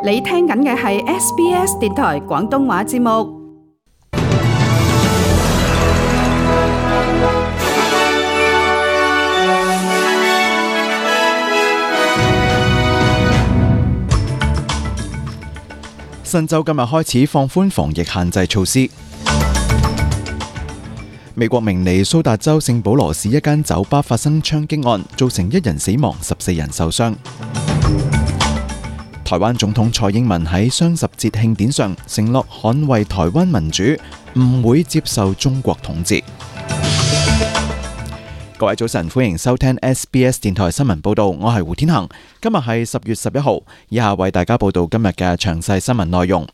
你聽緊嘅係 SBS 電台廣東話節目。新州今日開始放寬防疫限制措施。美國明尼蘇達州聖保羅市一間酒吧發生槍擊案，造成1人死亡，14人受傷。台灣總統蔡英文喺雙十節慶典上承諾捍衛台灣民主，唔會接受中國統治。各位早晨，歡迎收聽 SBS 電台新聞報道，我係胡天恒。今日係10月11號，以下為大家報道今日嘅詳細新聞內容。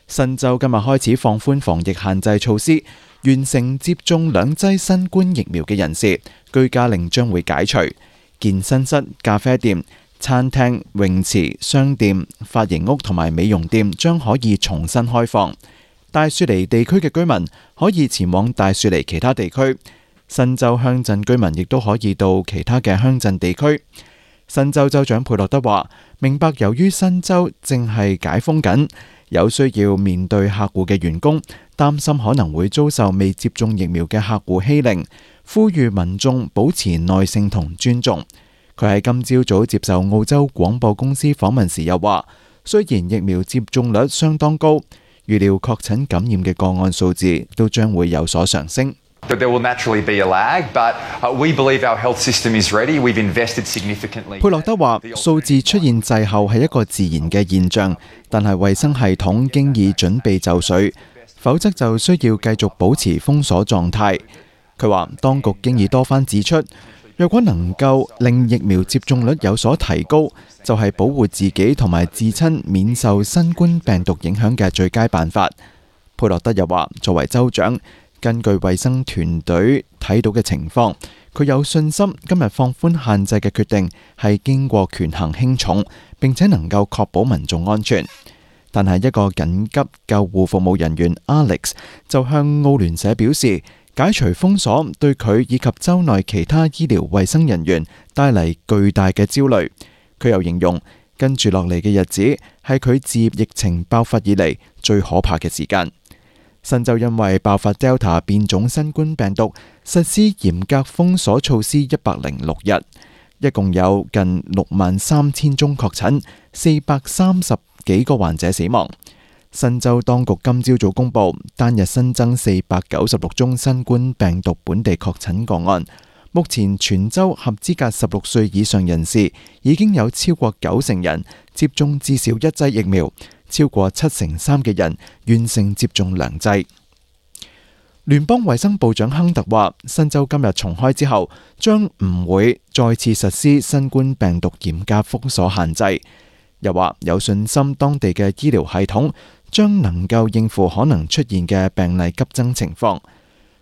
新州今日開始放寬防疫限制措施，完成接種2劑新冠疫苗嘅人士，居家令將會解除。健身室、咖啡店、餐廳、泳池、商店、髮型屋同埋美容店將可以重新開放。大雪梨地區嘅居民可以前往大雪梨其他地區。新州鄉鎮居民亦都可以到其他嘅鄉鎮地區。新州州長佩洛德話：明白由於新州正係解封緊，有需要面對客戶嘅員工擔心可能會遭受未接種疫苗嘅客戶欺凌，呼籲民眾保持耐性同尊重。佢喺今朝早接受澳洲廣播公司訪問時又話：雖然疫苗接種率相當高，預料確診感染嘅個案數字都將會有所上升。There will naturally be a lag, but we believe our health system is ready. We've invested significantly. 佩洛德話：數字出現滯後係一個自然嘅現象，但係衛生系統經已準備就緒，否則就需要繼續保持封鎖狀態。佢話：當局經已多番指出，若果能夠令疫苗接種率有所提高，就係保護自己同埋至親免受新冠病毒影響嘅最佳辦法。佩洛德又話：作為州長，根據衛生團隊睇到嘅情況，佢有信心今日放寬限制嘅決定係經過權衡輕重，並且能夠確保民眾安全。但係一個緊急救護服務人員 Alex 就向澳聯社表示，解除封鎖對佢以及州內其他醫療衛生人員帶嚟巨大嘅焦慮。佢又形容跟住落嚟嘅日子係佢自疫情爆發以嚟最可怕嘅時間。新州因為爆發 Delta 變種新冠病毒，實施嚴格封鎖措施106日，一共有近63000宗確診，430幾個患者死亡。新州當局今朝早公布，單日新增496宗新冠病毒本地確診個案。目前全州合資格16歲以上人士已經有超過90%人接種至少1劑疫苗，超過73%嘅人完成接種2劑。聯邦衛生部長亨特話：新州今日重開之後，將唔會再次實施新冠病毒嚴格封鎖限制。又話有信心當地嘅醫療系統將能夠應付可能出現嘅病例急增情況。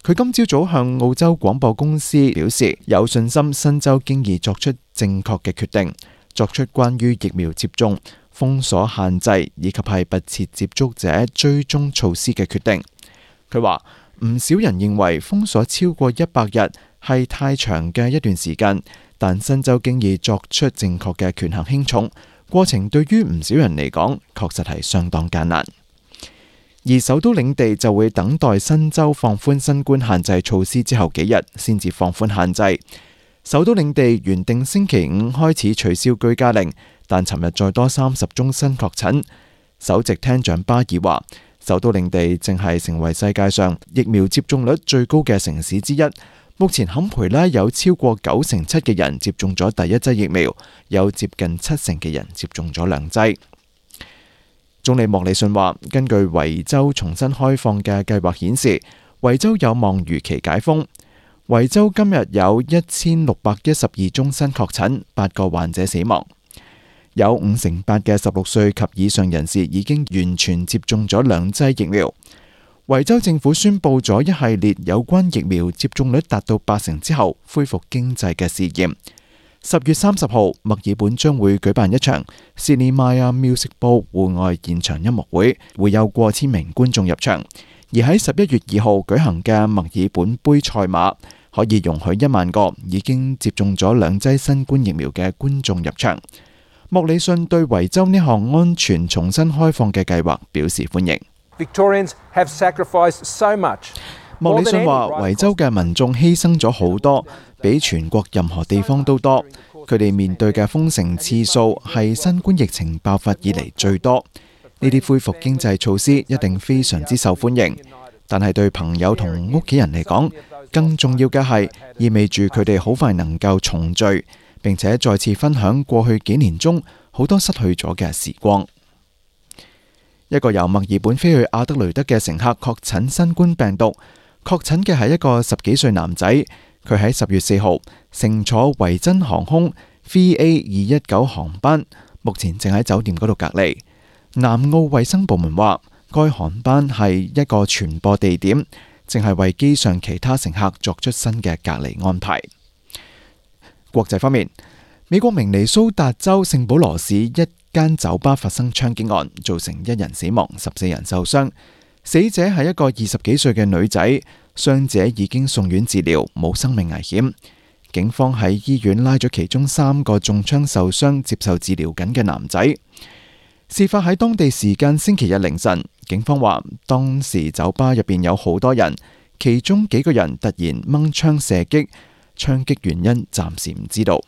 佢今朝早向澳洲廣播公司表示，有信心新州經已作出正確嘅決定，作出關於疫苗接種、封鎖限制以及係密切接觸者追蹤措施嘅決定。佢話唔少人認為封鎖超過100日係太長嘅一段時間，但新州經已作出正確嘅權衡輕重，過程對於唔少人嚟講確實係相當艱難。而首都領地就會等待新州放寬新冠限制措施之後幾日先至放寬限制。首都領地原定星期5開始取消居家令，但尋日再多30宗新確診。首席廳長巴爾話：首都領地正係成為世界上疫苗接種率最高嘅城市之一。目前坎培拉有超過97%嘅人接種咗第1劑疫苗，有接近70%嘅人接種咗2劑。總理莫里遜話：根據維州重新開放嘅計劃顯示，維州有望如期解封。維州今日有1612宗新確診，8個患者死亡。有58%嘅16歲及以上人士已經完全接種咗2劑疫苗。維州政府宣布咗一系列有關疫苗接種率達到80%之後恢復經濟嘅試驗。10月30號，墨爾本將會舉辦一場 Sydney Maya Music Bowl 戶外現場音樂會，會有過千名觀眾入場。而喺11月2號舉行嘅墨爾本杯賽馬，可以容許1萬個已經接種咗2劑新冠疫苗嘅觀眾入場。莫里遜對維州呢項安全重新開放嘅計劃表示歡迎。Victorians have sacrificed so much. 莫里遜話：維州嘅民眾犧牲咗好多，比全國任何地方都多。佢哋面對嘅封城次數係新冠疫情爆發以嚟最多。呢啲恢復經濟措施一定非常之受歡迎，但係對朋友同屋企人嚟講，更重要嘅係意味住佢哋好快能夠重聚，並且再次分享過去幾年中好多失去咗嘅時光。一個由墨爾本飛去阿德雷德嘅乘客確診新冠病毒，確診嘅係一個10幾歲男仔，佢喺10月4號乘坐維珍航空 VA219 航班，目前正喺酒店嗰度隔離。南澳衛生部門話，該航班係一個傳播地點，正係為機上其他乘客作出新嘅隔離安排。國際方面，美國明尼蘇達州聖保羅市一間酒吧發生槍擊案，造成1人死亡，14人受傷。死者係一個20幾歲嘅女仔，傷者已經送院治療，冇生命危險。警方喺醫院拉咗其中3個中槍受傷、接受治療緊嘅男仔。事發喺當地時間星期日凌晨，警方話當時酒吧入邊有好多人，其中幾個人突然掹槍射擊，槍擊原因暫時唔知道。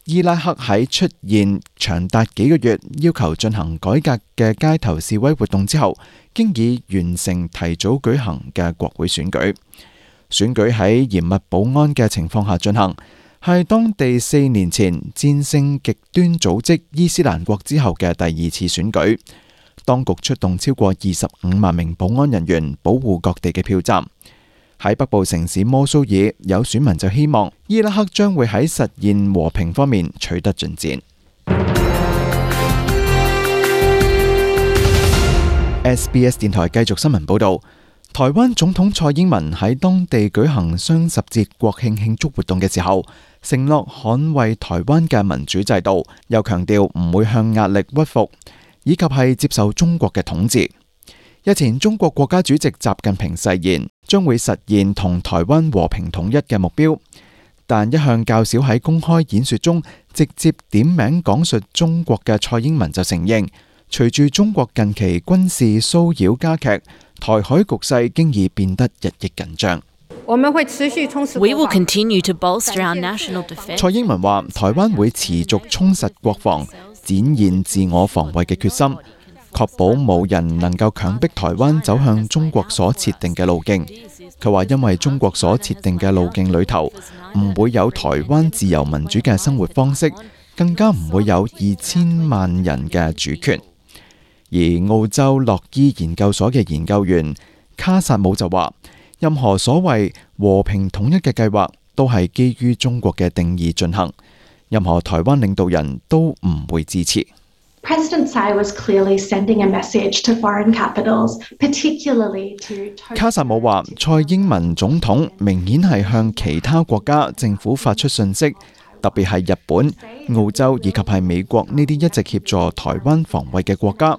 伊拉克喺出現長達幾個月要求進行改革嘅街頭示威活動之後，經已完成提早舉行嘅國會選舉。選舉喺嚴密保安嘅情況下進行，係當地4年前戰勝極端組織伊斯蘭國之後嘅第2次選舉。當局出動超過25萬名保安人員保護各地嘅票站。喺北部城市摩蘇爾，有選民就希望伊拉克將會喺實現和平方面取得進展。SBS 電台繼續新聞報道，台灣總統蔡英文喺當地舉行雙十節國慶慶祝活動嘅時候，承諾捍衛台灣嘅民主制度，又強調唔會向壓力屈服，以及係接受中國嘅統治。日前，中國國家主席習近平誓言將會實現同台灣和平統一嘅目標，但一向較少喺公開演說中直接點名講述中國嘅蔡英文就承認，隨住中國近期軍事騷擾加劇，台海局勢經已變得日益緊張。我們會持續充實國防。We will continue to bolster our national defense. 蔡英文話：台灣會持續充實國防，展現自我防衛嘅決心，確保冇人能夠強迫台灣走向中國所設定嘅路徑。佢話：因為中國所設定嘅路徑裏頭，唔會有台灣自由民主嘅生活方式，更加唔會有2000萬人嘅主權。而澳洲洛伊研究所嘅研究員卡薩姆就話：任何所謂和平統一嘅計劃都係基於中國嘅定義進行，任何台灣領導人都唔會支持。President Tsai was clearly sending a message to foreign capitals, particularly to 卡薩姆話：蔡英文總統明顯係向其他國家政府發出訊息，特別係日本、澳洲以及係美國呢啲一直協助台灣防衛嘅國家，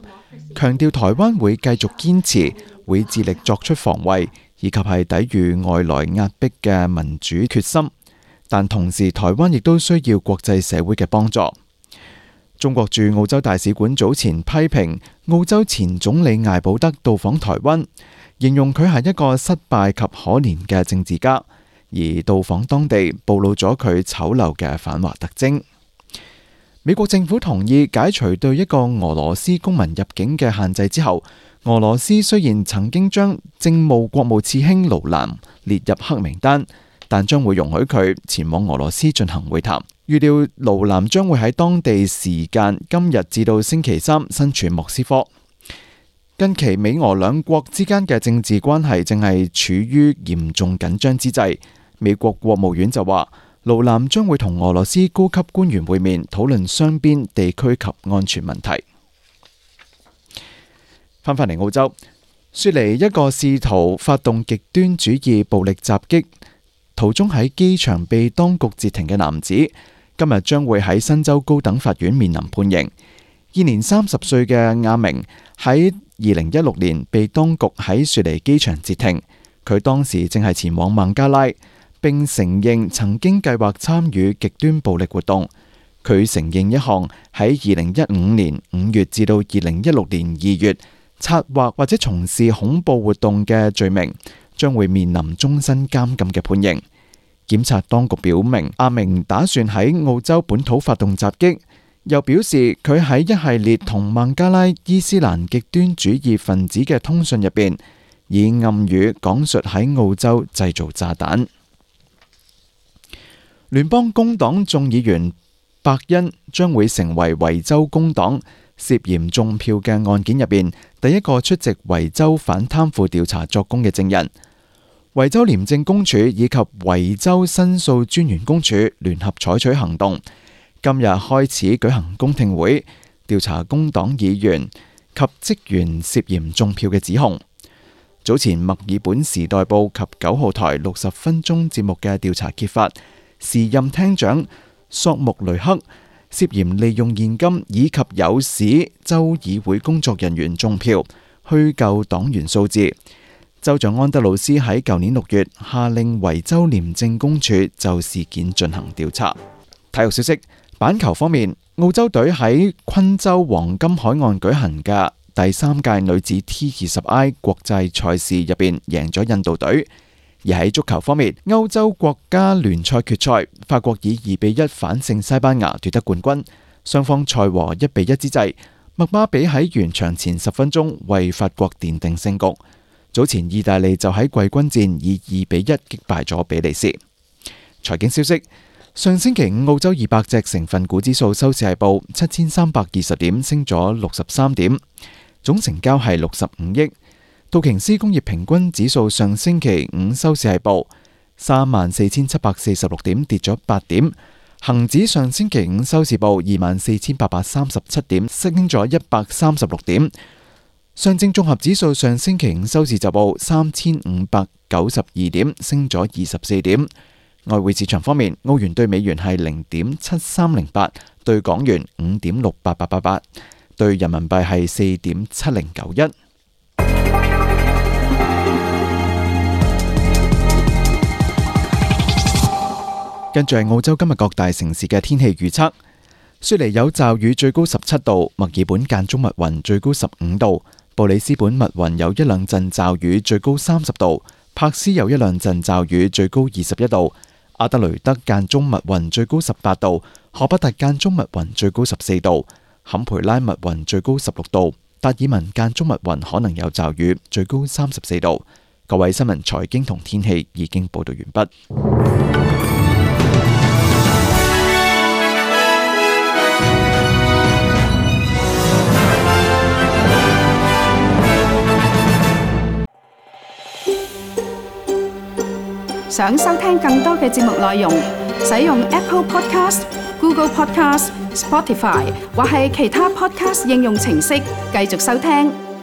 強調台灣會繼續堅持，會致力作出防衛，以及係抵禦外來壓迫嘅民主決心。但同時，台灣亦都需要國際社會嘅幫助。中國駐澳洲大使館早前批評澳洲前總理艾保德到訪台灣，形容佢係一個失敗及可憐嘅政治家，而到訪當地暴露咗佢醜陋嘅反華特徵。美國政府同意解除對一個俄羅斯公民入境嘅限制之後，俄羅斯雖然曾經將政務國務次卿盧蘭列入黑名單，但將會容許佢前往俄羅斯進行會談。預料盧蘭將會喺當地時間今日至到星期三身處莫斯科。近期美俄兩國之間嘅政治關係正係處於嚴重緊張之際。美國國務院就話，盧蘭將會同俄羅斯高級官員會面，討論雙邊、地區及安全問題。翻返嚟澳洲，雪梨一個試圖發動極端主義暴力襲擊，途中喺機場被當局截停嘅男子，今日將會喺新州高等法院面臨判刑。現年30歲嘅亞明喺2016年被當局喺雪梨機場截停，佢當時正係前往孟加拉，並承認曾經計劃參與極端暴力活動。佢承認一項喺2015年5月至到2016年2月策劃或者從事恐怖活動嘅罪名，將會面臨終身監禁嘅判刑。檢察當局表明，阿明打算喺澳洲本土發動襲擊，又表示佢喺一系列同孟加拉伊斯蘭極端主義分子嘅通訊入邊，以暗語講述喺澳洲製造炸彈。聯邦工黨眾議員伯恩將會成為維州工黨涉嫌中票嘅案件入邊第一個出席維州反貪腐調查作供嘅證人。維州廉政公署以及維州申訴專員公署聯合採取行動，今日開始舉行公聽會，調查工黨議員及職員涉嫌中票嘅指控。早前墨爾本時代報及9號台60分鐘節目嘅調查揭發，時任廳長索穆雷克涉嫌利用現金以及誘使州議會工作人員中票，虛構黨員數字。州長安德魯斯喺舊年6月下令維州廉政公署就事件進行調查。體育消息，板球方面，澳洲隊喺昆州黃金海岸舉行嘅第3屆女子 T20I 國際賽事入邊贏咗印度隊。而喺足球方面，歐洲國家聯賽決賽，法國以2-1反勝西班牙奪得冠軍。雙方賽和1-1之際，麥巴比喺完場前10分鐘為法國奠定勝局。早前意大利就喺季軍戰以2-1擊敗咗比利時。財經消息，上星期五澳洲200隻成分股指數收市係報7320點，升咗63點，總成交係65億。道瓊斯工業平均指數上星期五收市係報34,746點，跌咗8點。恒指上星期五收市報24,837點，升咗136點。上證綜合指數上星期五收市就報3,592點，升咗24點。外匯市場方面，澳元對美元係0.7308，對港元5.68888，對人民幣係4.7091。跟住係澳洲今日各大城市嘅天氣預測：雪梨有驟雨，最高17度；墨爾本間中密雲，最高15度；布里斯本密雲有一兩陣驟雨，最高30度；柏斯有一兩陣驟雨，最高21度；阿德雷德間中密雲，最高18度；荷伯特間中密雲，最高14度；坎培拉密雲，最高16度；達爾文間中密雲可能有驟雨，最高34度。各位新聞、財經同天氣已經報道完畢。想收聽更多嘅節目內容，使用 Apple Podcast、Google Podcast、Spotify 或係其他 Podcast 應用程式繼續收聽。